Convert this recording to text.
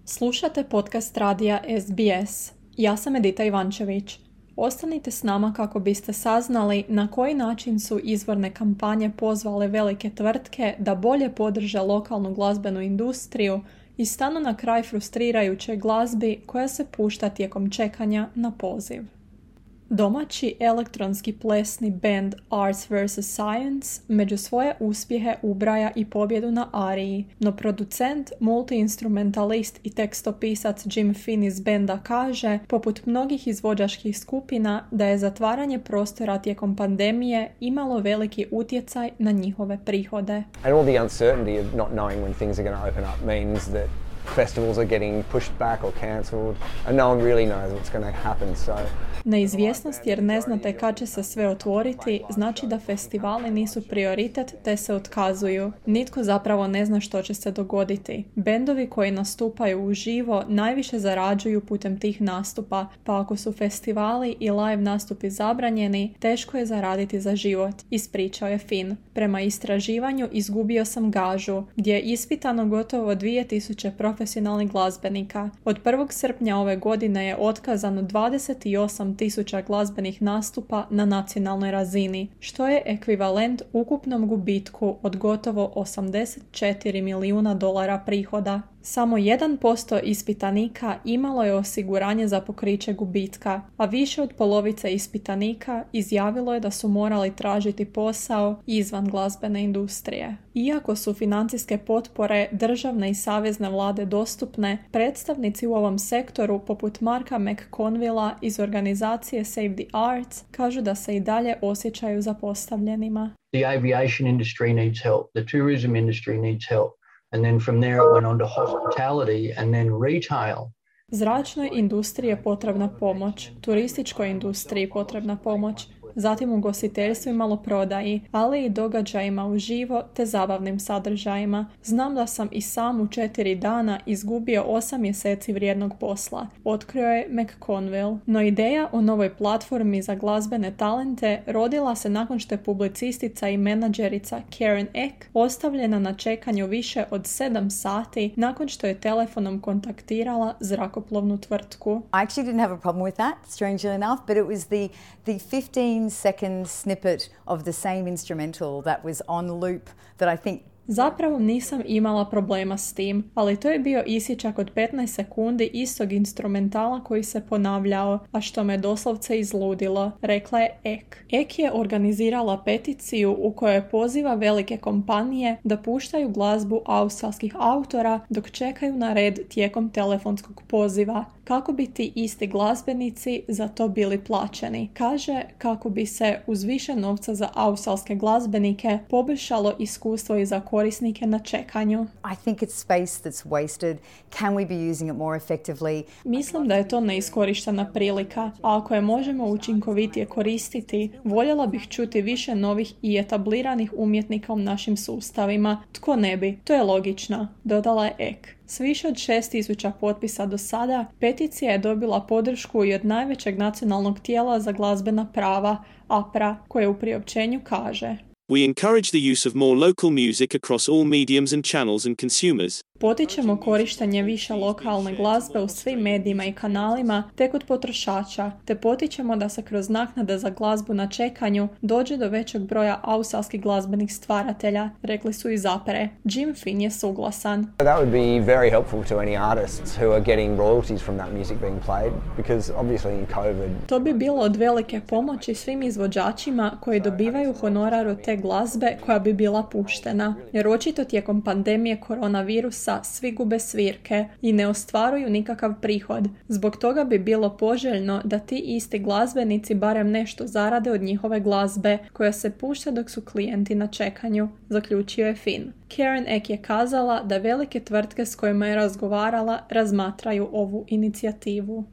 Slušate podcast radija SBS. Ja sam Edita Ivančević. Ostanite s nama kako biste saznali na koji način su izvorne kampanje pozvale velike tvrtke da bolje podrže lokalnu glazbenu industriju i stanu na kraj frustrirajućoj glazbi koja se pušta tijekom čekanja na poziv. Domaći elektronski plesni band Arts vs. Science među svoje uspjehe ubraja i pobjedu na Ariji, no producent, multi-instrumentalist i tekstopisac Jim Finn iz benda kaže, poput mnogih izvođačkih skupina, da je zatvaranje prostora tijekom pandemije imalo veliki utjecaj na njihove prihode. And all the uncertainty of not knowing when things are going to open up means that festivals are getting pushed back or cancelled and no one really knows what's going to happen. So Neizvjesnost jer ne znate kad će se sve otvoriti znači da festivali nisu prioritet te se otkazuju. Nitko zapravo ne zna što će se dogoditi. Bendovi koji nastupaju uživo najviše zarađuju putem tih nastupa, pa ako su festivali i live nastupi zabranjeni, teško je zaraditi za život, ispričao je Finn. Prema istraživanju izgubio sam gažu, gdje je ispitano gotovo 2000 profesionalnih glazbenika. Od 1. srpnja ove godine je otkazano 28.000 glazbenih nastupa na nacionalnoj razini, što je ekvivalent ukupnom gubitku od gotovo $84 milijuna prihoda. Samo 1% ispitanika imalo je osiguranje za pokriće gubitka, a više od polovice ispitanika izjavilo je da su morali tražiti posao izvan glazbene industrije. Iako su financijske potpore državne i savezne vlade dostupne, predstavnici u ovom sektoru poput Marka McConvilla iz organizacije Save the Arts kažu da se i dalje osjećaju zapostavljenima. The aviation industry needs help. The tourism industry needs help. And then from there it went on to hospitality and then retail. Zračnoj industriji je potrebna pomoć, turističkoj industriji potrebna pomoć, zatim ugostiteljstvu i maloprodaji, ali i događajima uživo te zabavnim sadržajima. Znam da sam i sam u 4 dana izgubio 8 mjeseci vrijednog posla, otkrio je McConville. No ideja o novoj platformi za glazbene talente rodila se nakon što je publicistica i menadžerica Karen Eck ostavljena na čekanju više od 7 sati nakon što je telefonom kontaktirala zrakoplovnu tvrtku. I actually didn't have a problem with that, strangely enough, but it was the 15-second snippet of the same instrumental that was on loop that I think. Zapravo nisam imala problema s tim, ali to je bio isječak od 15 sekundi istog instrumentala koji se ponavljao, a što me doslovce izludilo, rekla je Eck. Eck je organizirala peticiju u kojoj poziva velike kompanije da puštaju glazbu australskih autora dok čekaju na red tijekom telefonskog poziva, kako bi ti isti glazbenici za to bili plaćeni. Kaže kako bi se uz više novca za australske glazbenike poboljšalo iskustvo i za korisnike na čekanju. I think it's space that's wasted. Can we be using it more effectively? Mislim da je to neiskorištena prilika, a ako je možemo učinkovitije koristiti, voljela bih čuti više novih i etabliranih umjetnika u našim sustavima. Tko ne bi? To je logično, dodala je Eck. S više od 6.000 potpisa do sada, peticija je dobila podršku i od najvećeg nacionalnog tijela za glazbena prava, APRA, koje u priopćenju kaže: We encourage the use of more local music across all mediums and channels and consumers. Potičemo korištenje više lokalne glazbe u svim medijima i kanalima te kod potrošača, te potičemo da se kroz naknade za glazbu na čekanju dođe do većeg broja australskih glazbenih stvaratelja, rekli su iz APRE. Jim Finn je suglasan. that would be very helpful to any artists who are getting royalties from that music being played, because obviously in COVID. To bi bilo od velike pomoći svim izvođačima koji dobivaju honorar od te glazbe koja bi bila puštena, jer očito tijekom pandemije koronavirusa svi gube svirke i ne ostvaruju nikakav prihod. Zbog toga bi bilo poželjno da ti isti glazbenici barem nešto zarade od njihove glazbe koja se pušta dok su klijenti na čekanju, zaključio je Finn. Karen Eck je kazala da velike tvrtke s kojima je razgovarala razmatraju ovu inicijativu.